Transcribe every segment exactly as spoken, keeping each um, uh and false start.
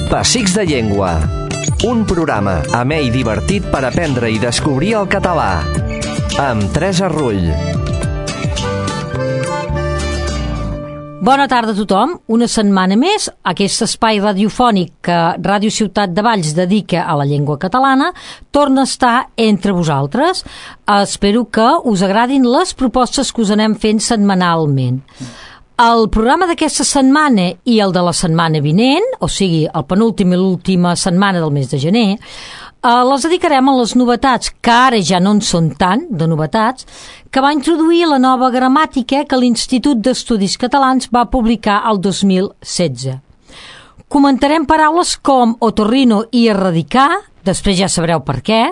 Pessics de Llengua. Un programa amè i divertit per aprendre i descobrir el català. Amb Teresa Rull. Bona tarda a tothom. Una setmana més, aquest espai radiofònic que Ràdio Ciutat de Valls dedica a la llengua catalana torna a estar entre vosaltres. Espero que us agradin les propostes que us anem fent setmanalment. El programa d'aquesta setmana i el de la setmana vinent, o sigui, el penúltim i l'última setmana del mes de gener, eh, les dedicarem a les novetats, que ara ja no en són tant, de novetats, que va introduir la nova gramàtica que l'Institut d'Estudis Catalans va publicar el dos mil setze. Comentarem paraules com otorrino i erradicar, després ja sabreu per què,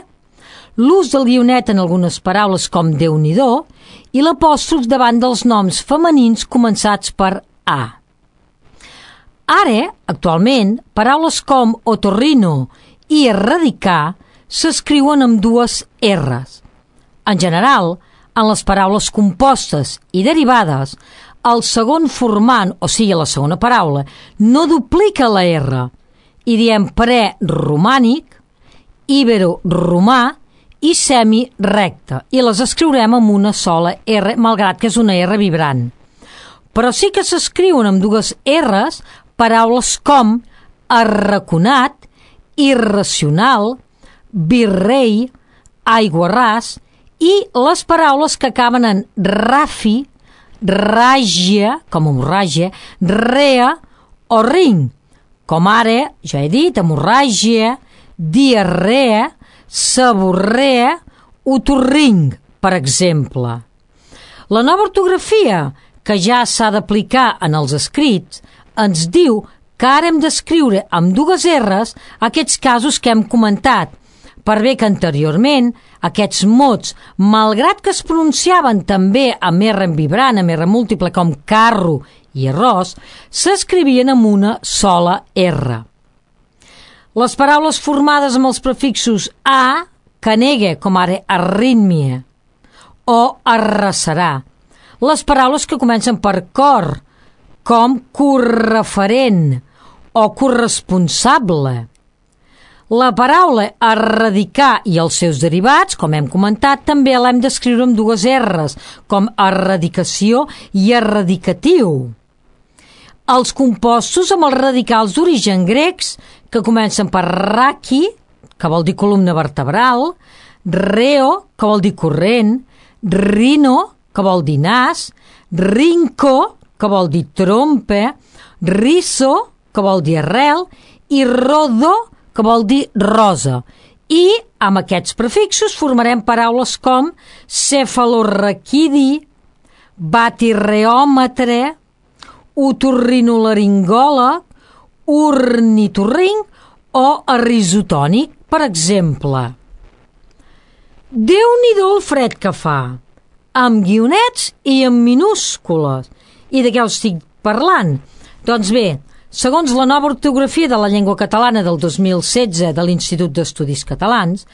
l'ús del guionet en algunes paraules com Déu-n'hi-do i l'apòstrof davant dels noms femenins començats per A. Ara, actualment, paraules com otorrino i erradicar s'escriuen amb dues R's. En general, en les paraules compostes i derivades, el segon formant, o sigui la segona paraula, no duplica la R i diem preromànic, ibero-romà i semi-recte, i les escriurem amb una sola R, malgrat que és una R vibrant. Però sí que s'escriuen amb dues R's paraules com arraconat, irracional, virrei, aiguarràs, i les paraules que acaben en rafi, ràgia, com hemorràgia, rea o ring, com ara, ja he dit, hemorràgia, diarrea, seborrea, otorring, per exemple. La nova ortografia, que ja s'ha d'aplicar en els escrits, ens diu que ara hem d'escriure amb dues R's aquests casos que hem comentat, per bé que anteriorment aquests mots, malgrat que es pronunciaven també amb R en vibrant, amb R múltiple com carro i arròs, s'escrivien amb una sola R. Les paraules formades amb els prefixos a, que negue, com ara arrítmia, o arraserà. Les paraules que comencen per cor, com correferent o corresponsable. La paraula erradicar i els seus derivats, com hem comentat, també l'hem d'escriure amb dues R's, com erradicació i erradicatiu. Els compostos amb els radicals d'origen grecs, que comencen per raki, que vol dir columna vertebral, reo, que vol dir corrent, rino, que vol dir nas, rinco, que vol dir trompa, riso, que vol dir arrel, i rodo, que vol dir rosa. I amb aquests prefixos formarem paraules com cefalorraquidi, batirreòmetre, otorrinolaringòleg, ornitorring o arrisotònic, per exemple. Déu-n'hi-do el fred que fa, amb guionets i amb minúscules. I de què us estic parlant? Doncs bé, segons la nova ortografia de la llengua catalana del dos mil setze de l'Institut d'Estudis Catalans,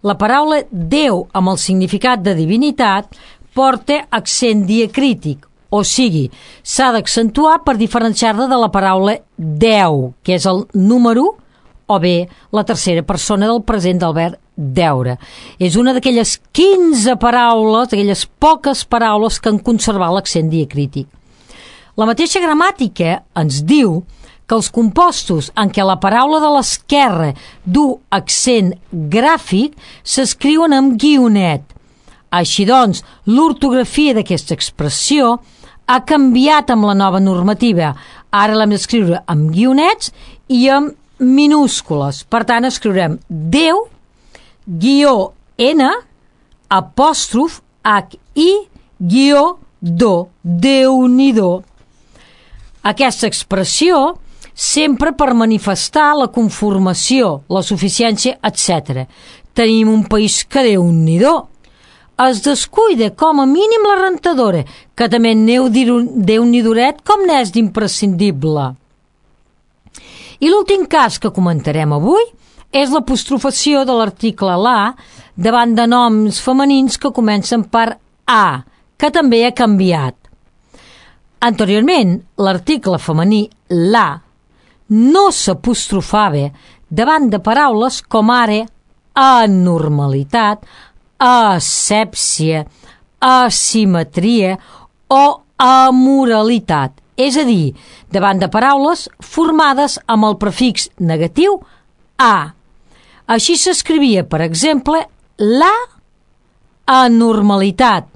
la paraula Déu amb el significat de divinitat porta accent diacrític, o sigui, s'ha d'accentuar per diferenciar-la de la paraula deu, que és el número, o bé la tercera persona del present del verb deure. És una d'aquelles quinze paraules, d'aquelles poques paraules que han conservat l'accent diacrític. La mateixa gramàtica ens diu que els compostos en què la paraula de l'esquerra du accent gràfic s'escriuen amb guionet. Així doncs, l'ortografia d'aquesta expressió ha canviat amb la nova normativa. Ara l'hem d'escriure amb guionets i amb minúscules. Per tant, escriurem Déu, guió N, apòstrof H, I, guió do, Déu-n'hi-do. Aquesta expressió sempre per manifestar la conformació, la suficiència, etcètera. Tenim un país que Déu-n'hi-do. Es descuida com a mínim la rentadora, que també neu Déu-n'hi-doret com n'és d'imprescindible. I l'últim cas que comentarem avui és l'apostrofació de l'article la davant de noms femenins que comencen per a, que també ha canviat. Anteriorment, l'article femení la no s'apostrofava davant de paraules com ara anormalitat, asèpsia, asimetria o amoralitat, és a dir, davant de paraules formades amb el prefix negatiu a. Així s'escrivia, per exemple, la anormalitat,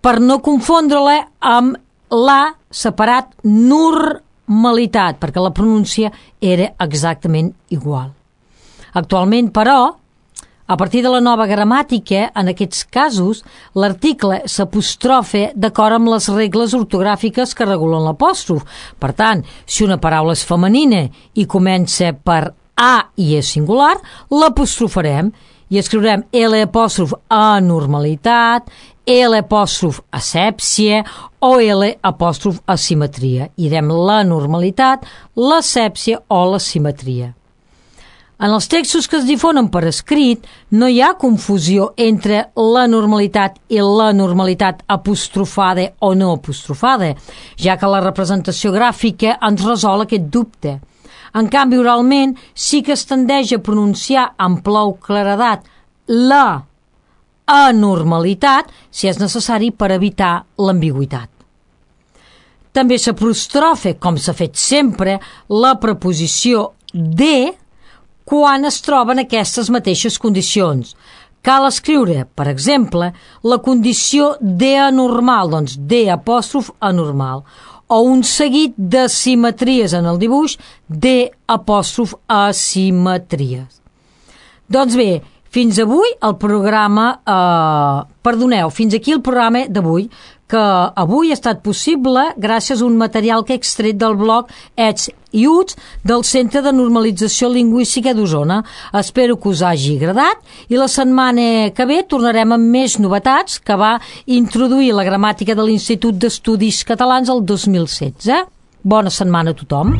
per no confondre-la amb la separat normalitat, perquè la pronúncia era exactament igual. Actualment, però, a partir de la nova gramàtica, en aquests casos, l'article s'apostrofa d'acord amb les regles ortogràfiques que regulen l'apòstrof. Per tant, si una paraula és femenina i comença per a i és singular, l'apostrofarem i escriurem L apòstrof anormalitat, L apòstrof asèpsia o L apòstrof asimetria. I direm la normalitat, l'asèpsia o l'asimetria. En els textos que es difonen per escrit no hi ha confusió entre la normalitat i la normalitat apostrofada o no apostrofada, ja que la representació gràfica ens resol aquest dubte. En canvi, oralment sí que es tendeix a pronunciar amb prou claredat la anormalitat si és necessari per evitar l'ambigüitat. També s'apostrofa, com s'ha fet sempre, la preposició de quan es troben aquestes mateixes condicions. Cal escriure, per exemple, la condició de anormal, doncs de apòstrof anormal, o un seguit de simetries en el dibuix de apòstrof asimetries. Doncs bé, fins avui el programa, eh, perdoneu, fins aquí el programa d'avui, que avui ha estat possible gràcies a un material que he extret del blog Ets i Uts del Centre de Normalització Lingüística d'Osona. Espero que us hagi agradat i la setmana que ve tornarem amb més novetats que va introduir la gramàtica de l'Institut d'Estudis Catalans el dos mil setze. Bona setmana a tothom.